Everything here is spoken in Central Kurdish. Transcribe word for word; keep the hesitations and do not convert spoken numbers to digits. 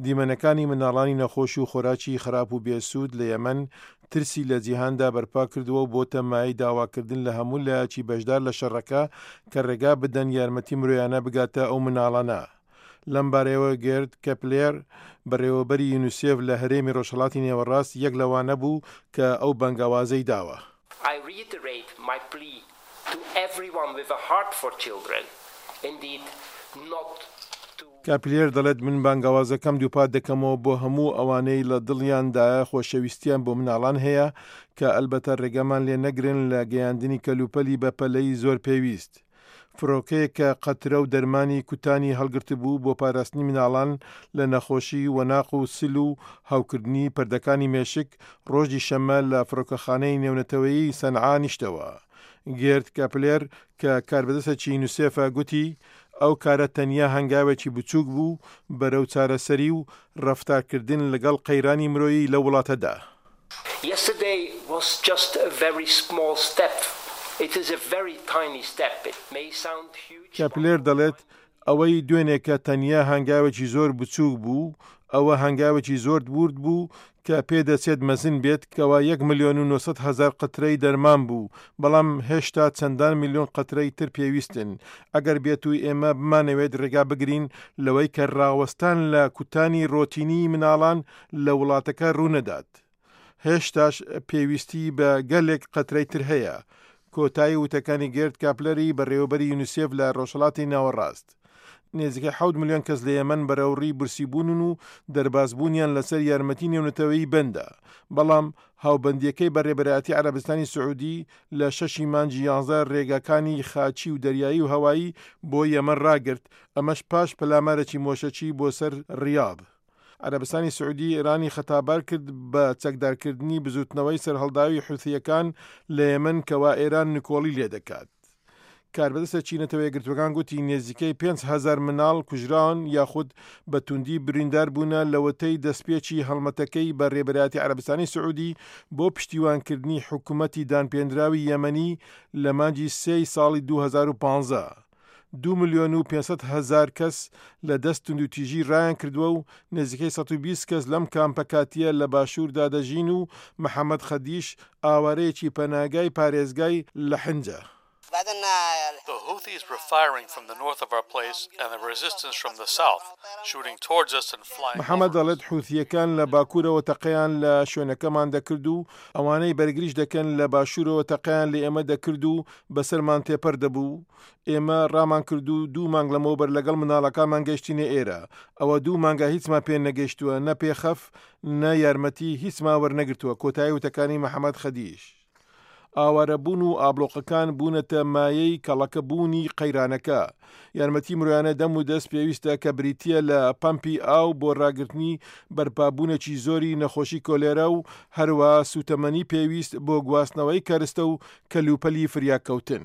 دیمەنەکانی مناڵانی نەخۆش و خۆراکی خراپ و بێسوود لە یەمەن ترسی لە جیهاندا بەرپا کردووە و بۆتە مایەی داواکردن لە هەموو لایەکی بەشدار لە شەڕەکە کە ڕێگا بدەن یارمەتی مرۆیانە بگاتە ئەو مناڵانە. لەم بارەیەوە گێرد کەپلێر بەڕێوەبەری یونیسێف لە هەرێمی ڕۆژهەڵاتی نێوەڕاست یەک لەوانە بوو کە ئەو بانگەوازەی داوە. I reiterate my plea to everyone with a heart for children, indeed not to کاپلێر دەڵێت من بانگەوازەکەم دووپات دەکەمەوە بۆ هەموو ئەوانەی لە دڵیاندایە خۆشەویستیان بۆ مناڵان هەیە کە ئەلبەتە ڕێگەمان لێ نەگرن لە گەیاندنی کەلوپەلی بەپەلەی زۆر پێویست. فڕۆکەیەک کە قەترە و دەرمانی کوتانی هەڵگرتبوو بۆ پاراستنی مناڵان لە نەخۆشی وەناق و سل و هەوکردنی پەردەکانی مێشک ڕۆژی شەممە لە فڕۆکەخانەی نێونەتەوەیی سەنعا نیشتەوە. گێرد کاپلێر کە کاربەدەستێکی یونیسێفە گوتی ئەو کارە تەنیا هەنگاوێکی بچووک بوو بەرەو چارەسەری و ڕەفتارکردن لەگەڵ قەیرانی مرۆیی لە وڵاتەدا. Yesterday was just a very small step. It is a very tiny step. It may sound huge. کاپلێر دەڵێت ئەوەی دوێنێکە تەنیا هەنگاوێکی زۆر بچووک بوو ئەوە هەنگاوێکی زۆر ورد بوو کە پێدەچێت مەزن بێت کەوا یەک ملیۆن و نۆ سەد هەزار قەترەی دەرمان بوو بەڵام هێشتا چەندان میلیۆن قەترەی تر پێویستن ئەگەر بێت و ئێمە بمانەوێت ڕێگا بگرین لەوەی کە ڕاوەستان لە کوتانی ڕۆتینی مناڵان لە وڵاتەکە ڕوونەدات هێشتاش پێویستی بە گەلێک قەترەی تر هەیە کۆتایی وتەکانی گێرد کاپلەری بەڕێوەبەری یونیسێف لە ڕۆژهەڵاتی ناوەڕاست نێزیکەی حەوت ملیۆن کەس لە یەمەن بەرەوڕی برسیبوون و دەربازبوونیان لەسەر یارمەتی نێونەتەوەیی بەندە بەڵام هاوبەندیەکەی بەڕێبەرایەتی عەرەبستانی سعودی لە شەشی مانگی یانزە ڕێگاکانی خاچی و دەریایی و هەوایی بۆ یەمەن ڕاگرت ئەمەش پاش پەلامارێکی مۆشەکی بۆ سەر ڕیاض. عەرەبستانی سعودی ئێرانی خەتابار کرد بە چەکدارکردنی بزوتنەوەی سەرهەڵداوی حوثیەکان لە یەمەن کەوا ئێران نکۆڵی لێ دەکات. کاربەدەستێکی نەتەوە یەکگرتووەکان گوتی نێزیکەی پێنج هەزار مناڵ کوژراون یاخود بە توندی بریندار بوونە لەوەتەی دەستپێکی هەڵمەتەکەی بە ڕێبەرایەتی عەرەبستانی سعودی بۆ پشتیوانکردنی حکوومەتی دانپێنراوی یەمەنی لە مانگی سێی ساڵی دوو هەزار و پازدە. دو ملیۆن و پێنج سەد هەزار کەس لە دەست توندوتیژی ڕایان کردووە و نزیکەی سەد و بیست کەس لەم کامپە کاتیە لە باشووردا دەژین و محەممەد خەدیش ئاوارەیەکی پەناگای پارێزگای لەحنجە. The Houthis were firing from the north of our place and the resistance from the south, shooting towards us and flying محەممەد over us. دەڵێت حوثیەکان لە باکوورەوە تەقەیان لە شوێنەکەمان دەکرد و ئەوانەی بەرگریش دەکەن لە باشوورەوە تەقەیان لە ئێمە دەکرد و بەسەرمان تێپەر دەبوو. ئێمە ڕامان کرد و دوو مانگ لەمەوبەر لەگەڵ مناڵەکانمان گەشتینە ئێرە. ئەوە دوو مانگە هیچمان پێ نەگەیشتووە، نە پێخەف نە یارمەتی هیچمان وەرنەگرتووە. کۆتایی وتەکانی محەممەد خەدیش. ئاوارەبوون و ئابلۆقەکان بوونەتە مایەی کەڵەکەبوونی قەیرانەکە. یارمەتی مرۆیانە دەم و دەست پێویستە کە بریتیە لە پەمپی ئاو بۆ ڕاگرتنی بەرپابوونێکی زۆری نەخۆشی کۆلێرا و هەروەها سوتەمەنی پێویست بۆ گواستنەوەی کەرستە و کەلوپەلی فریاکەوتن.